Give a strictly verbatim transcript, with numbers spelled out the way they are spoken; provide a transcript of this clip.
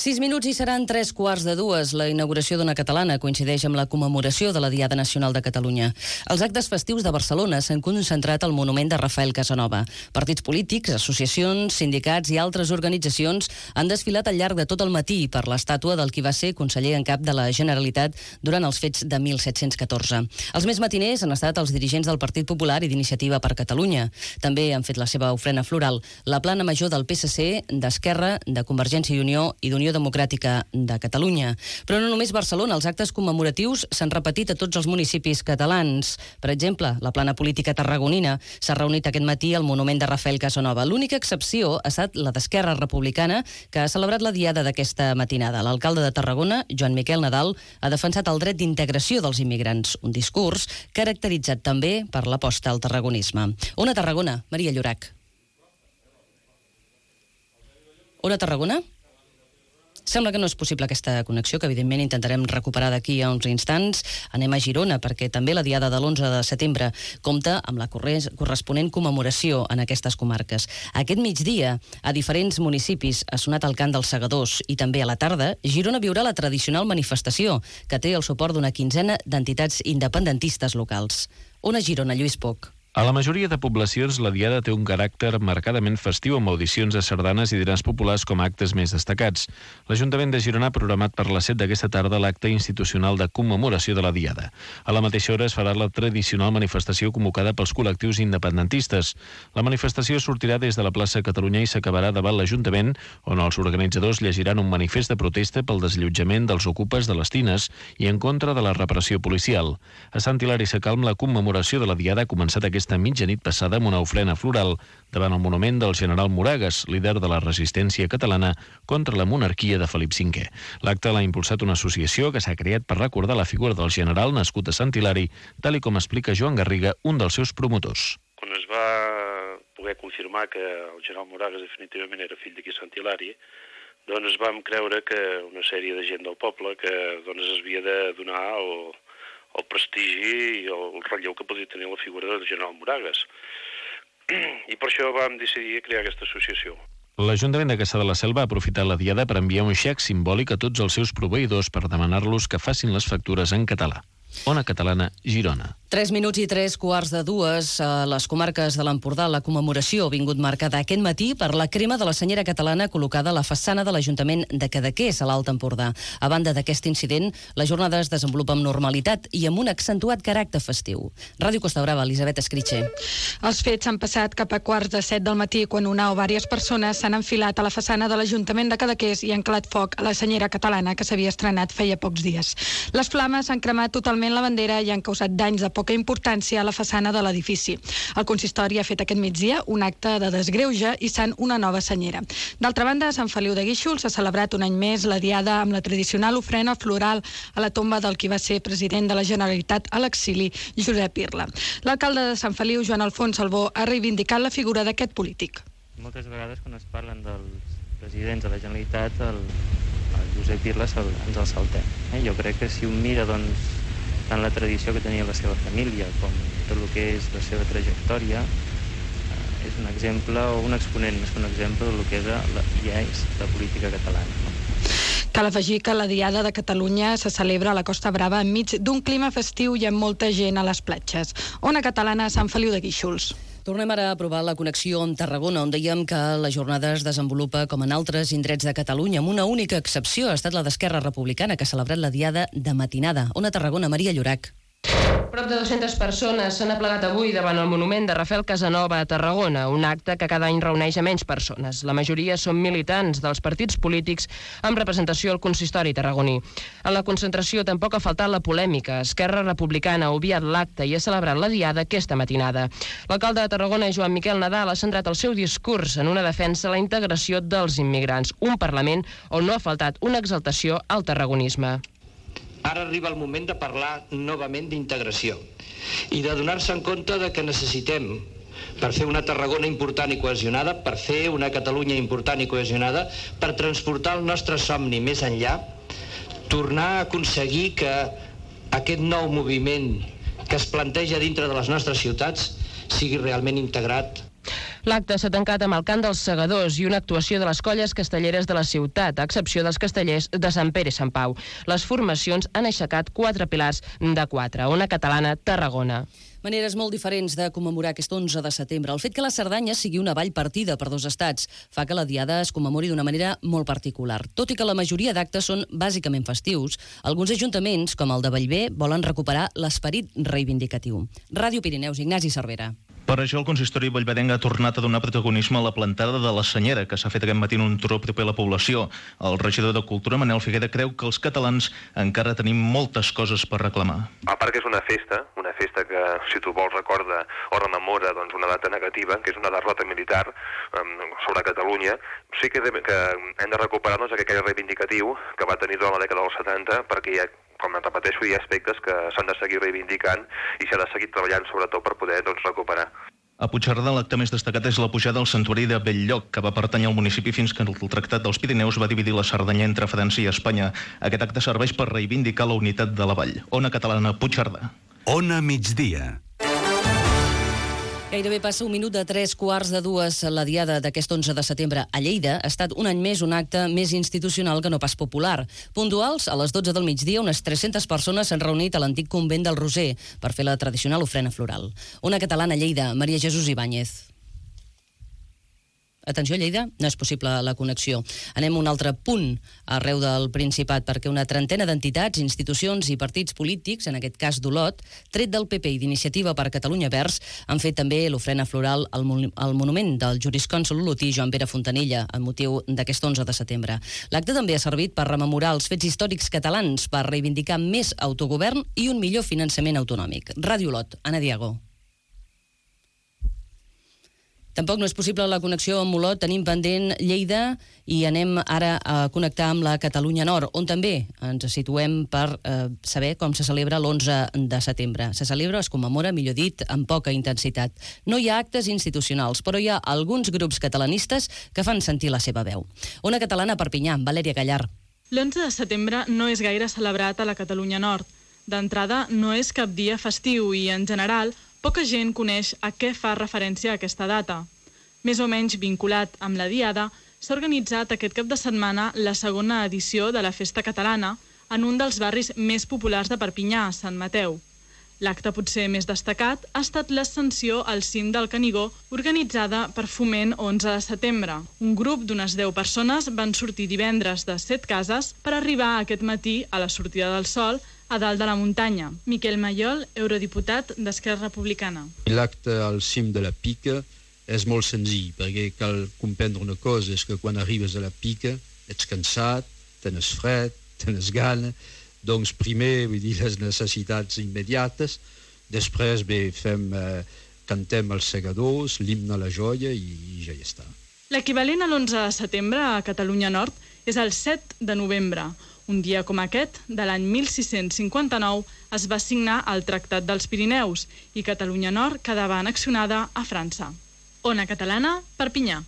Sis minuts i seran tres quarts de dues. La inauguració d'una catalana coincideix amb la commemoració de la Diada Nacional de Catalunya. Els actes festius de Barcelona s'han concentrat al monument de Rafael Casanova. Partits polítics, associacions, sindicats i altres organitzacions han desfilat al llarg de tot el matí per l'estàtua del qui va ser conseller en cap de la Generalitat durant els fets de mil set-cents catorze. Els més matiners han estat els dirigents del Partit Popular i d'Iniciativa per Catalunya. També han fet la seva ofrena floral la plana major del P S C, d'Esquerra, de Convergència i Unió i d'Unió Democràtica de Catalunya. Però no només Barcelona, els actes commemoratius s'han repetit a tots els municipis catalans. Per exemple, la plana política tarragonina s'ha reunit aquest matí al monument de Rafael Casanova. L'única excepció ha estat la d'Esquerra Republicana, que ha celebrat la diada d'aquesta matinada. L'alcalde de Tarragona, Joan Miquel Nadal, ha defensat el dret d'integració dels immigrants, un discurs caracteritzat també per l'aposta al tarragonisme. On a Tarragona? Maria Llorach. On a Tarragona? Sembla que no és possible aquesta connexió, que evidentment intentarem recuperar d'aquí a uns instants. Anem a Girona, perquè també la diada de l'onze de setembre compta amb la corresponent commemoració en aquestes comarques. Aquest migdia, a diferents municipis ha sonat el cant dels segadors i també a la tarda, Girona viurà la tradicional manifestació, que té el suport d'una quinzena d'entitats independentistes locals. On a Girona, Lluís Poch? A la majoria de poblacions, la diada té un caràcter marcadament festiu amb audicions de sardanes i dinars populars com a actes més destacats. L'Ajuntament de Girona ha programat per les set d'aquesta tarda l'acte institucional de commemoració de la diada. A la mateixa hora es farà la tradicional manifestació convocada pels col·lectius independentistes. La manifestació sortirà des de la plaça Catalunya i s'acabarà davant l'Ajuntament, on els organitzadors llegiran un manifest de protesta pel desallotjament dels ocupes de les tines i en contra de la repressió policial. A Sant Hilari Sacalm, la commemoració de la diada ha començat aquesta esta mitjanit passada amb una ofrena floral davant el monument del general Moragues, líder de la resistència catalana contra la monarquia de Felip cinquè. L'acte l'ha impulsat una associació que s'ha creat per recordar la figura del general nascut a Sant Hilari, tal i com explica Joan Garriga, un dels seus promotors. Quan es va poder confirmar que el general Moragues definitivament era fill d'aquí a Sant Hilari, doncs vam creure que una sèrie de gent del poble que doncs, es havia de donar el el prestigi i el relleu que podia tenir la figura del general Moragues. I per això vam decidir crear aquesta associació. L'Ajuntament de Cassà de la Selva ha aprofitat la diada per enviar un xec simbòlic a tots els seus proveïdors per demanar-los que facin les factures en català. Ona Catalana, Girona. Tres minuts i tres quarts de dues. A les comarques de l'Empordà, la commemoració ha vingut marcada aquest matí per la crema de la senyera catalana col·locada a la façana de l'Ajuntament de Cadaqués, a l'Alt Empordà. A banda d'aquest incident, la jornada es desenvolupa amb normalitat i amb un accentuat caràcter festiu. Ràdio Costa Brava, Elisabet Escritxe. Els fets han passat cap a quarts de set del matí, quan una o diverses persones s'han enfilat a la façana de l'Ajuntament de Cadaqués i han calat foc a la senyera catalana, que s'havia estrenat feia pocs dies. Les flames han cremat totalment la bandera i han causat danys de poca importància a la façana de l'edifici. El consistori ha fet aquest migdia un acte de desgreuge issant una nova senyera. D'altra banda, a Sant Feliu de Guíxols s'ha celebrat un any més la diada amb la tradicional ofrena floral a la tomba del qui va ser president de la Generalitat a l'exili, Josep Irla. L'alcalde de Sant Feliu, Joan Alfons Salvó, ha reivindicat la figura d'aquest polític. Moltes vegades quan es parlen dels presidents de la Generalitat, el, el Josep Irla el, ens el saltem. Eh? Jo crec que si un mira, doncs, tant la tradició que tenia la seva família com tot el que és la seva trajectòria, eh, és un exemple o un exponent més que un exemple del que era la, ja és la política catalana. No? Cal afegir que la Diada de Catalunya se celebra a la Costa Brava enmig d'un clima festiu i amb molta gent a les platges. Ona Catalana, Sant Feliu de Guíxols. Tornem ara a provar la connexió amb Tarragona, on dèiem que la jornada es desenvolupa com en altres indrets de Catalunya, amb una única excepció. Ha estat la d'Esquerra Republicana, que ha celebrat la diada de matinada. On a Tarragona, Maria Llorach. Prop de dues-centes persones s'han aplegat avui davant el monument de Rafael Casanova a Tarragona, un acte que cada any reuneix a menys persones. La majoria són militants dels partits polítics amb representació al consistori tarragoní. En la concentració tampoc ha faltat la polèmica. Esquerra Republicana ha obviat l'acte i ha celebrat la diada aquesta matinada. L'alcalde de Tarragona, Joan Miquel Nadal, ha centrat el seu discurs en una defensa de la integració dels immigrants, un Parlament on no ha faltat una exaltació al tarragonisme. Ara arriba el moment de parlar novament d'integració i de donar-se en compte de que necessitem, per fer una Tarragona important i cohesionada, per fer una Catalunya important i cohesionada, per transportar el nostre somni més enllà, tornar a aconseguir que aquest nou moviment que es planteja dintre de les nostres ciutats sigui realment integrat L'acte s'ha tancat amb el cant dels segadors i una actuació de les colles castelleres de la ciutat, a excepció dels castellers de Sant Pere i Sant Pau. Les formacions han aixecat quatre pilars de quatre. Ona Catalana, Tarragona. Maneres molt diferents de commemorar aquest onze de setembre. El fet que la Cerdanya sigui una vall partida per dos estats fa que la diada es commemori d'una manera molt particular. Tot i que la majoria d'actes són bàsicament festius, alguns ajuntaments, com el de Bellver, volen recuperar l'esperit reivindicatiu. Ràdio Pirineus, Ignasi Cervera. Per això el consistori bellvedenc ha tornat a donar protagonisme a la plantada de la Senyera, que s'ha fet aquest matí en un turó proper a la població. El regidor de Cultura, Manel Figuera, creu que els catalans encara tenim moltes coses per reclamar. A part que és una festa, una festa que, si tu vols, recorda o rememora doncs, una data negativa, que és una derrota militar um, sobre Catalunya, sí que, de, que hem de recuperar doncs, aquell reivindicatiu que va tenir durant la dècada dels setanta, perquè hi ha, com em repeteixo, hi ha aspectes que s'han de seguir reivindicant i s'ha de seguir treballant sobretot per poder doncs, recuperar. A Puigcerdà l'acte més destacat és la pujada al santuari de Belllloc, que va pertànyer al municipi fins que el Tractat dels Pirineus va dividir la Cerdanya entre França i Espanya. Aquest acte serveix per reivindicar la unitat de la vall. Ona Catalana, Puigcerdà. Ona Migdia. Gairebé passa un minut de tres quarts de dues. La diada d'aquest onze de setembre a Lleida ha estat un any més un acte més institucional que no pas popular. Puntuals, a les dotze del migdia, unes tres-centes persones s'han reunit a l'antic convent del Roser per fer la tradicional ofrena floral. Ona Catalana a Lleida, Maria Jesús Ibáñez. Atenció, Lleida, no és possible la connexió. Anem a un altre punt arreu del Principat, perquè una trentena d'entitats, institucions i partits polítics, en aquest cas d'Olot, tret del P P i d'Iniciativa per Catalunya Verds, han fet també l'ofrena floral al, al monument del jurisconsol olotí Joan Pere Fontanella, amb motiu d'aquest onze de setembre. L'acte també ha servit per rememorar els fets històrics catalans, per reivindicar més autogovern i un millor finançament autonòmic. Ràdio Olot, Anna Diago. Tampoc no és possible la connexió amb Olot. Tenim pendent Lleida i anem ara a connectar amb la Catalunya Nord, on també ens situem per eh, saber com se celebra l'onze de setembre. Se celebra, es commemora, millor dit, amb poca intensitat. No hi ha actes institucionals, però hi ha alguns grups catalanistes que fan sentir la seva veu. Ona Catalana a Perpinyà, Valèria Gallar. L'onze de setembre no és gaire celebrat a la Catalunya Nord. D'entrada, no és cap dia festiu i, en general, poca gent coneix a què fa referència aquesta data. Més o menys vinculat amb la Diada, s'ha organitzat aquest cap de setmana la segona edició de la Festa Catalana en un dels barris més populars de Perpinyà, Sant Mateu. L'acte potser més destacat ha estat l'ascensió al cim del Canigó organitzada per Foment onze de setembre. Un grup d'unes deu persones van sortir divendres de set cases per arribar aquest matí a la sortida del sol a dalt de la muntanya. Miquel Mayol, eurodiputat d'Esquerra Republicana. L'acte al cim de la Pica és molt senzill, perquè cal comprendre una cosa, és que quan arribes a la Pica ets cansat, tens fred, tens gana, doncs primer, vull dir, les necessitats immediates, després bé, fem, eh, cantem els segadors, l'himne a la joia i, i ja hi està. L'equivalent a l'onze de setembre a Catalunya Nord és el set de novembre. Un dia com aquest, de l'any mil sis-cents cinquanta-nou, es va signar el Tractat dels Pirineus i Catalunya Nord quedava annexionada a França. Ona Catalana, Perpinyà.